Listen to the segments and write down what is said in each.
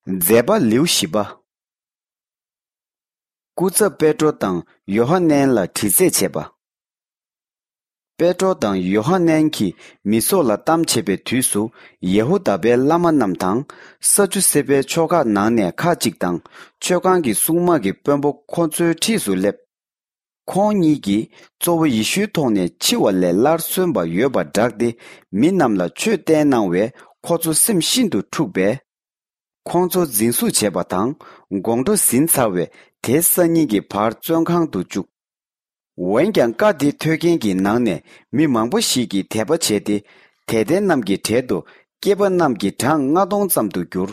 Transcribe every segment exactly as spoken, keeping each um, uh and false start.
མཛད་པ་ལེའུ་བཞི་པ། སྐུ་ཚབ་པེ་ཏྲོ་དང་ཡོ་ཧ་ནན་ལ་དྲི་རྩད་བྱས་པ། པེ་ཏྲོ་དང་ཡོ་ཧ་ནན་གྱིས་མི་ཚོགས་ལ་གཏམ་བྱེད་པའི་དུས་སུ། ཡེ་ཧུ་དཱ་པའི་བླ་མ་རྣམས་དང་། ས་ཅུ་སེ་པའི་ཆོ་ག་ནང་ནས་ཁ་ཅིག་དང་། མཆོད་ཁང་གི་སྲུང་མ་གི་དཔོན་པོ་ཁོ་ཚོའི་འཁྲིས་སུ་སླེབས། ཁོང་གཉིས་ཀྱིས་གཙོ་བོ་ཡེ་ཤུའི་ཐོག་ནས་འཆི་བ་ལས་སླར་གསོན་པ་ཡོད་པར་བསྒྲགས་ཏེ། མི་རྣམས་ལ་ཆོས་བསྟན་གནང་བས་ཁོ་ཚོ་སེམས་ཤིན་ཏུ་འཁྲུགས་པས། ཁོང་ཚོ་འཛིན་བཟུང་བྱས་པ་དང་། དགོང་དྲོ་ཟིན་ཚར་བས་དེ་སང་ཉིན་གྱི་བར་བཙོན་ཁང་དུ་བཅུག། འོན་ཀྱང་བཀའ་འདི་ཐོས་མཁན་གྱི་ནང་ནས་མི་མང་པོ་ཞིག་གིས་དད་པ་བྱས་ཏེ། དད་ལྡན་རྣམས་ཀྱི་གྲལ་དུ་སྐྱེས་པ་རྣམས་ཀྱི་གྲངས་ལྔ་སྟོང་ཙམ་དུ་གྱུར།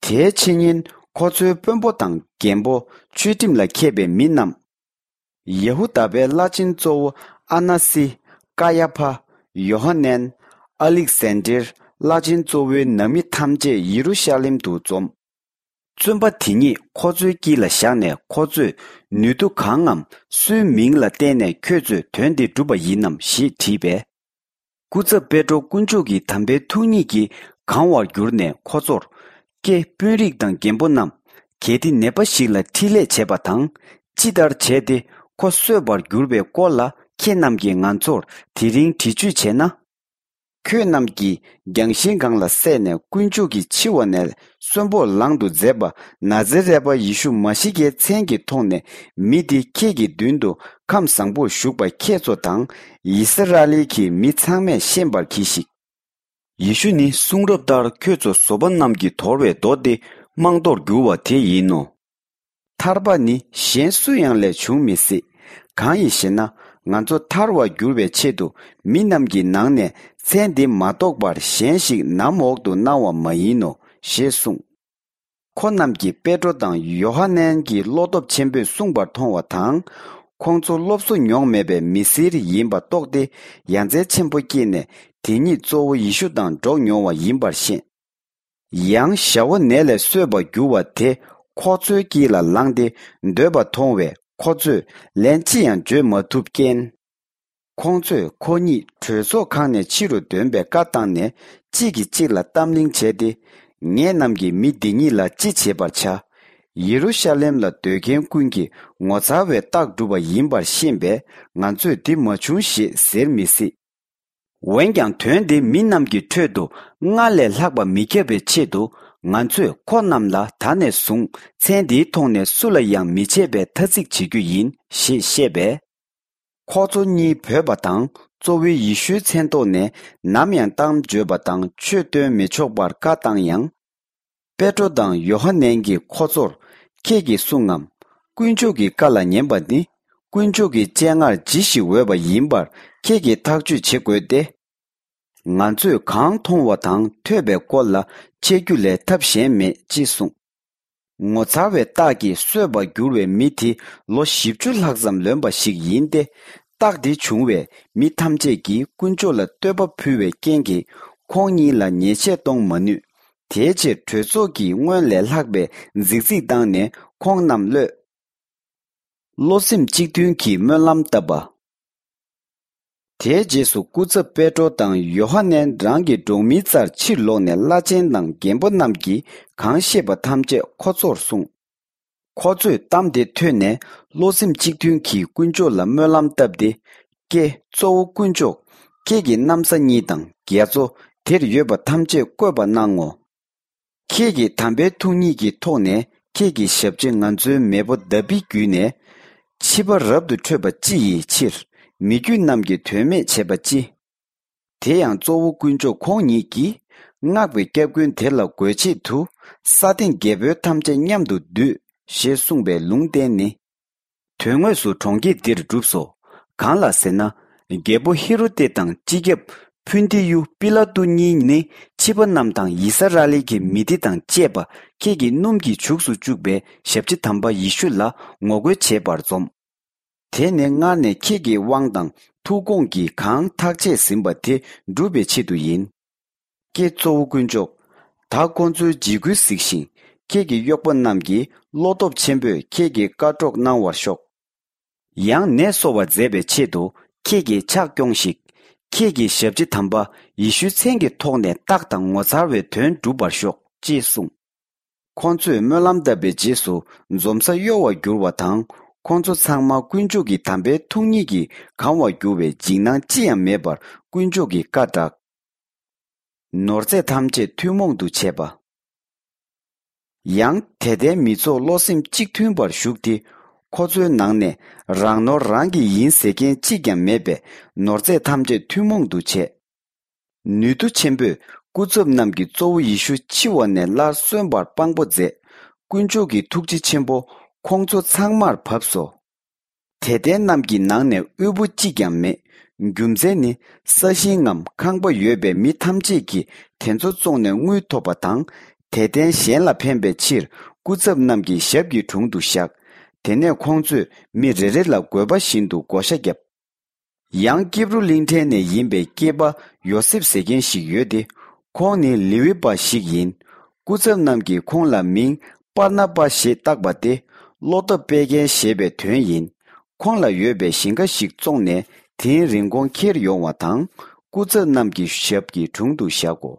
དེའི་ཕྱི་ཉིན་ཁོ་ཚོའི་དཔོན་པོ་དང་རྒན་པོ། ཆོས་ཁྲིམས་ལ་མཁས་པའི་མི་རྣམས། ཡེ་ཧུ་དཱ་པའི་བླ་ཆེན་གཙོ་བོ་ཨ་ན་སི། ཀ་ཡ་ཕ། ཡོ་ཧ་ནན། ཨ་ལིག་སན་དྲེར། བླ་ཆེན་གཙོ་བོའི་ནང་མི་ཐམས་ཅད་ཡེ་རུ་ཤ་ལེམ་དུ་འཛོམས། བཙོན་པ་དེ་ཉིད་ཁོ་ཚོའི་དཀྱིལ་ལ་བཞག་ནས། ཁོ་ཚོས་ནུས་མཐུ་གང་ངམ་སུའི་མིང་ལ་བརྟེན་ནས་ཁྱོད་ཚོས་དོན་འདི་བསྒྲུབས་པ་ཡིན་ནམ་ཞེས་དྲིས་པས། སྐུ་ཚབ་པེ་ཏྲོ་དཀོན་མཆོག་གི་དམ་པའི་ཐུགས་ཉིད་ཀྱིས་གང་བར་གྱུར་ནས་ཁོ་ཚོར། ཀྱེ་དཔོན་རིགས་དང་རྒན་པོ་རྣམས། གལ་ཏེ་ནད་པ་ཞིག་ལ་འཕྲིན་ལས་བྱས་པ་དང་། ཅི་ལྟར་བྱས་ཏེ་ཁོ་གསོས་པར་གྱུར་པའི་སྐོར་ལ་ཁྱེད་རྣམས་ཀྱིས་ང་ཚོར་དེ་རིང་དྲི་གཅོད་བྱས་ན། ཁྱོད་རྣམས་ཀྱིས་རྒྱང་ཤིང་སྒང་ལ་བསད་ནས་དཀོན་མཆོག་གིས་འཆི་བ་ནས་གསོན་པོར་ལང་དུ་མཛད་པ་ན་ཛེ་རད་པ་ཡེ་ཤུ་མ་ཤི་ཀའི་མཚན་གྱི་ཐོག་ནས་མི་འདི་ཁྱེད་ཀྱི་མདུན་དུ་ཁམས་བཟང་པོར་བཞུགས་པ་ཁྱེད་ཚོ་དང་ཡི་སི་ར་ཨེལ་གྱི་མི་ཚང་མས་ཤེས་པར་གྱིས་ཤིག། ཡེ་ཤུ་ནི་གསུང་རབ་ལྟར་ཁྱོད་ཚོ་བཟོ་པ་རྣམས་ཀྱིས་དོར་བའི་རྡོ་སྟེ་རྨང་རྡོར་གྱུར་བ་དེ་ཡིན་ནོ། ཐར་པ་ནི་གཞན་སུ་ཡང་ལས་བྱུང་མི་སྲིད། གང་ཡིན་ཞེ་ན། ང་ཚོ་ཐར་བར་འགྱུར་བའི་ཆེད་དུ་མི་རྣམས་ཀྱི་ནང་ནས་མཚན་འདི་མ་གཏོགས་པར་གཞན་ཞིག་ནམ་འོག་ཏུ་གནང་བ་མ་ཡིན་ནོ་ཞེས་གསུངས། ཁོ་རྣམས་ཀྱིས་པེ་ཏྲོ་དང་ཡོ་ཧ་ནན་གྱིས་བློ་སྟོབས་ཆེན་པོས་གསུངས་པར་མཐོང་བ་དང་། ཁོང་ཚོ་སློབ་གསོ་མྱོང་མེད་པའི་མི་སེར་ཡིན་པ་རྟོགས་ཏེ་ཡ་མཚན་ཆེན་པོ་སྐྱེས་ནས་དེ་ཉིད་གཙོ་བོ་ཡེ་ཤུ་དང་འགྲོགས་མྱོང་བ་ཡིན་པར་ཤེས། ཡང་ཞ་བོ་ནད་ལས་གསོས་པར་གྱུར་བ་དེ་ཁོ་ཚོའི་དཀྱིལ་ལ་ལངས་ཏེ་སྡོད་པ་མཐོང་བས་ཁོ་ཚོས་ལན་ཅི་ཡང་བརྗོད་མ་ཐུབ་རྐྱེན། ཁོང་ཚོས་ཁོ་གཉིས་གྲོས་ཚོགས་ཁང་ནས་ཕྱི་རུ་འདོན་པའི་བཀའ་བཏང་ནས་གཅིག་གིས་གཅིག་ལ་གཏམ་གླེང་བྱས་ཏེ། ངེད་རྣམས་ཀྱིས་མི་འདི་གཉིས་ལ་ཅི་བྱེད་པར་བྱ། ཡེ་རུ་ཤ་ལེམ་ལ་སྡོད་མཁན་ཀུན་གྱིས་ངོ་མཚར་བའི་རྟགས་བསྒྲུབས་པ་ཡིན་པར་ཤེས་པས་ང་ཚོས་འདི་མ་བྱུང་ཞེས་ཟེར་མི་སྲིད། འོན་ཀྱང་དོན་དེ་མི་རྣམས་ཀྱི་ཁྲོད་དུ་སྔར་ལས་ལྷག་པ་མི་ཁྱབ་པའི་ཆེད་དུ་ང་ཚོས་ཁོ་རྣམས་ལ་ད་ནས་བཟུང་མཚན་འདིའི་ཐོག་ནས་སུ་ལ་ཡང་མི་བྱེད་པའི་ཐ་ཚིག་བྱེད་རྒྱུ་ཡིན་ཞེས་བཤད་པས། ཁོ་ཚོ་གཉིས་བོས་པ་དང་གཙོ་བོའི་ཡེ་ཤུའི་མཚན་ཐོག་ནས་ནམ་ཡང་གཏམ་བརྗོད་པ་དང་ཆོས་སྟོན་མི་ཆོག་པར་བཀའ་བཏང་ཡང་། པེ་ཏྲོ་དང་ཡོ་ཧ་ནན་གྱིས་ཁོ་ཚོར། ཁྱེད་ཀྱིས་གསུང་ངམ། དཀོན་མཆོག་གི་བཀའ་ལ་ཉན་པ་ནི། དཀོན་མཆོག་གི་སྤྱན་སྔར་ཇི་ཞིག་འོས་པ་ཡིན་པར་ཁྱེད་ཀྱིས་ཐག་གཅོད་བྱེད་དགོས་ཏེ། ང་ཚོས་གང་མཐོང་བ་དང་ཐོས་པའི་སྐོར་ལ་འཆད་རྒྱུ་ལས་ཐབས་གཞན་མེད་ཅེས་གསུངས། ངོ་མཚར་བའི་རྟགས་ཀྱིས་གསོས་པར་གྱུར་བའི་མི་དེ་ལོ་བཞི་བཅུ་ལྷག་ཙམ་ལོན་པ་ཞིག་ཡིན་ཏེ། རྟགས་འདི་བྱུང་བས་མི་ཐམས་ཅད་ཀྱིས་དཀོན་མཆོག་ལ་བསྟོད་པ་ཕུལ་བའི་རྐྱེན་གྱིས་ཁོང་གཉིས་ལ་ཉེས་ཆད་གཏོང་མ་ནུས། དེའི་ཕྱིར་གྲོས་ཚོགས་ཀྱིས་སྔོན་ལས་ལྷག་པའི་རྫིག་རྫིག་བཏང་ནས་ཁོང་རྣམས་གློད། བློ་སེམས་གཅིག་མཐུན་གྱིས་སྨོན་ལམ་བཏབ་པ། དེའི་རྗེས་སུ་སྐུ་ཚབ་པེ་ཏྲོ་དང་ཡོ་ཧ་ནན་རང་གི་གྲོགས་མིའི་རྩར་ཕྱིར་ལོག་ནས་བླ་ཆེན་དང་རྒན་པོ་རྣམས་ཀྱིས་གང་ཤེས་པ་ཐམས་ཅད་ཁོ་ཚོར་གསུངས། ཁོ་ཚོས་གཏམ་དེ་ཐོས་ནས་བློ་སེམས་གཅིག་མཐུན་གྱིས་དཀོན་མཆོག་ལ་སྨོན་ལམ་བཏབ་སྟེ། ཀྱེ་གཙོ་བོ་དཀོན་མཆོག་ཁྱེད་ཀྱི་གནམ་ས་གཉིས་དང་རྒྱ་མཚོ་དེར་ཡོད་པ་ཐམས་ཅད་བཀོད་པ་གནང་ངོ་། ཁྱེད་ཀྱི་དམ་པའི་ཐུགས་ཉིད་ཀྱི་ཐོག་ནས་ཁྱེད་ཀྱི་ཞབས་ཕྱི་ང་ཚོའི་མེས་པོ་དཱ་བིད་བརྒྱུད་ནས་ཕྱི་པ་རབ་ཏུ་ཁྲོས་པ་ཅི་ཡི་ཕྱིར་མི་རྒྱུད་རྣམས་ཀྱིས་དོན་མེད་བྱས་པ་ཅི། དེ་ཡང་གཙོ་བོ་དཀོན་མཆོག་ཁོང་ཉིད་ཀྱིས་སྔགས་པའི་སྐྱབས་མགོན་དེ་ལ་རྒོལ་ཆེད་དུ་ས་སྟེང་རྒྱལ་པོའི་ཐམས་ཅད་མཉམ་དུ་བསྡུས་ཞེས་གསུངས་པའི་ལུང་བསྟན་ནི། དོན་དངོས་སུ་གྲོང་ཁྱེར་འདིར་བསྒྲུབས་སོ། གང་ལ་ཟེར་ན། རྒྱལ་པོ་ཧེ་རོ་ཏེ་དང་སྤྱི་ཁྱབ་ཕུན་ཏི་ཡུ་པི་ལ་ཏུ་གཉིས་ནི་ཕྱི་པ་རྣམས་དང་ཡི་སཱ་ར་ལི་གི་མི་སྡེ་དང་བཅས་པ་ཁྱེད་ཀྱི་སྣུམ་གྱིས་བྱུགས་སུ་བཅུག་པའི་ཞབས་ཕྱི་དམ་པ་ཡེ་ཤུ་ལ་ངོ་རྒོལ་བྱེད་པར་འཛོམས། དེ་ནི་སྔར་ནས་ཁྱེད་ཀྱི་དབང་དང་ཐུགས་དགོངས་ཀྱིས་གང་ཐག་བཅད་ཟིན་པ་དེ་བསྒྲུབ་པའི་ཆེད་དུ་ཡིན། ཀྱེ་གཙོ་བོ་དཀོན་མཆོག་ད་ཁོང་ཚོའི་འཇིགས་སྐུལ་གཟིགས་ཤིང་། ཁྱེད་ཀྱི་གཡོག་པོ་རྣམས་ཀྱིས་བློ་སྟོབས་ཆེན་པོས་ཁྱེད་ཀྱི་བཀའ་སྒྲོག་གནང་བར་ཤོག་ཡང་ནད་གསོ་བར་མཛད་པའི་ཆེད་དུ་ཁྱེད་ཀྱིས་ཕྱག་སྐྱོང་ཞིག་ཁྱེད་ཀྱི་ཞབས་ཕྱི་དམ་པ་ཡེ་ཤུའི་མཚན་གྱི་ཐོག་ནས་རྟགས་དང་ངོ་མཚར་བའི་དོན་འགྲུབ་པར་ཤོག་ཅེས་གསུངས། ཁོང་ཚོས་སྨོན་ལམ་བཏབ་པའི་རྗེས་སུ་འཛོམས་ས་གཡོ་བར་གྱུར་བ་དང་། ཁོང་ཚོ་ཚང་མ་དཀོན་མཆོག་གི་དམ་པའི་ཐུགས་ཉིད་ཀྱིས་གང་བར་གྱུར་བས། འཇིགས་སྣང་ཅི་ཡང་མེད་པར་དཀོན་མཆོག་གི་བཀའ་བསྒྲགས། ནོར་རྫས་ཐམས་ཅད་ཐུན་མོང་དུ་བྱས་པ། ཡང་དད་ལྡན་མི་ཚོགས་བློ་སེམས་གཅིག་མཐུན་པར་བཞུགས་ཏེ། ཁོ་ཚོའི་ནང་ནས་རང་ནོར་རང་གི་ཡིན་ཟེར་མཁན་གཅིག་ཀྱང་མེད་པས། ནོར་རྫས་ཐམས་ཅད་ཐུན་མོང་དུ་བྱས། ནུས་མཐུ་ཆེན་པོས་སྐུ་ཚབ་རྣམས་ཀྱིས་གཙོ་བོ་ཡེ་ཤུ་འཆི་བ་ནས་སླར་གསོན་པར་དཔང་པོ་མཛད། དཀོན་མཆོག་གི་ཐུགས་རྗེ་ཆེན་པོ་ཁོང་ཚོ་ཚང་མར་བབས་སོ། དད་ལྡན་རྣམས་ཀྱི་ནང་ནས་དབུལ་པོ་གཅིག་ཀྱང་མེད། རྒྱུ་མཚན་ནི། ས་ཞིང་ངམ་ཁང་པ་ཡོད་པའི་མི་ཐམས་ཅད་ཀྱིས་དེ་ཚོ་བཙོངས་ནས་དངུལ་ཐོབ་པ་དང་། དད་ལྡན་གཞན་ལ་ཕན་པའི་ཕྱིར་སྐུ་ཚབ་རྣམས་ཀྱི་ཞབས་ཀྱི་དྲུང་དུ་བཞག། དེ་ནས་ཁོང་ཚོས་མི་རེ་རེ་ལ་བགོ་བཤའ་བཞིན་དུ་བགོ་བཤའ་བརྒྱབ། ཡང་ཀིབ་རུ་གླིང་ཕྲན་ནས་ཡིན་པའི་སྐྱེས་པ་ཡོ་སེབ་ཟེར་མཁན་ཞིག་ཡོད་དེ། ཁོང་ནི་ལེ་ཝི་པ་ཞིག་ཡིན། སྐུ་ཚབ་རྣམས་ཀྱིས་ཁོང་ལ་མིང་པར་ན་པ་ཞེས་བཏགས་པ་སྟེ། བློ་སྟོབས་སྤེལ་མཁན་ཞེས་པའི་དོན་ཡིན། ཁོང་ལ་ཡོད་པའི་ཞིང་ཁ་ཞིག་བཙོངས་ནས་དེའི་རིན་གོང་ཁྱེར་ཡོང་བ་དང་། སྐུ་ཚབ་རྣམས་ཀྱི་ཞབས་ཀྱི་དྲུང་དུ་བཞག་གོ།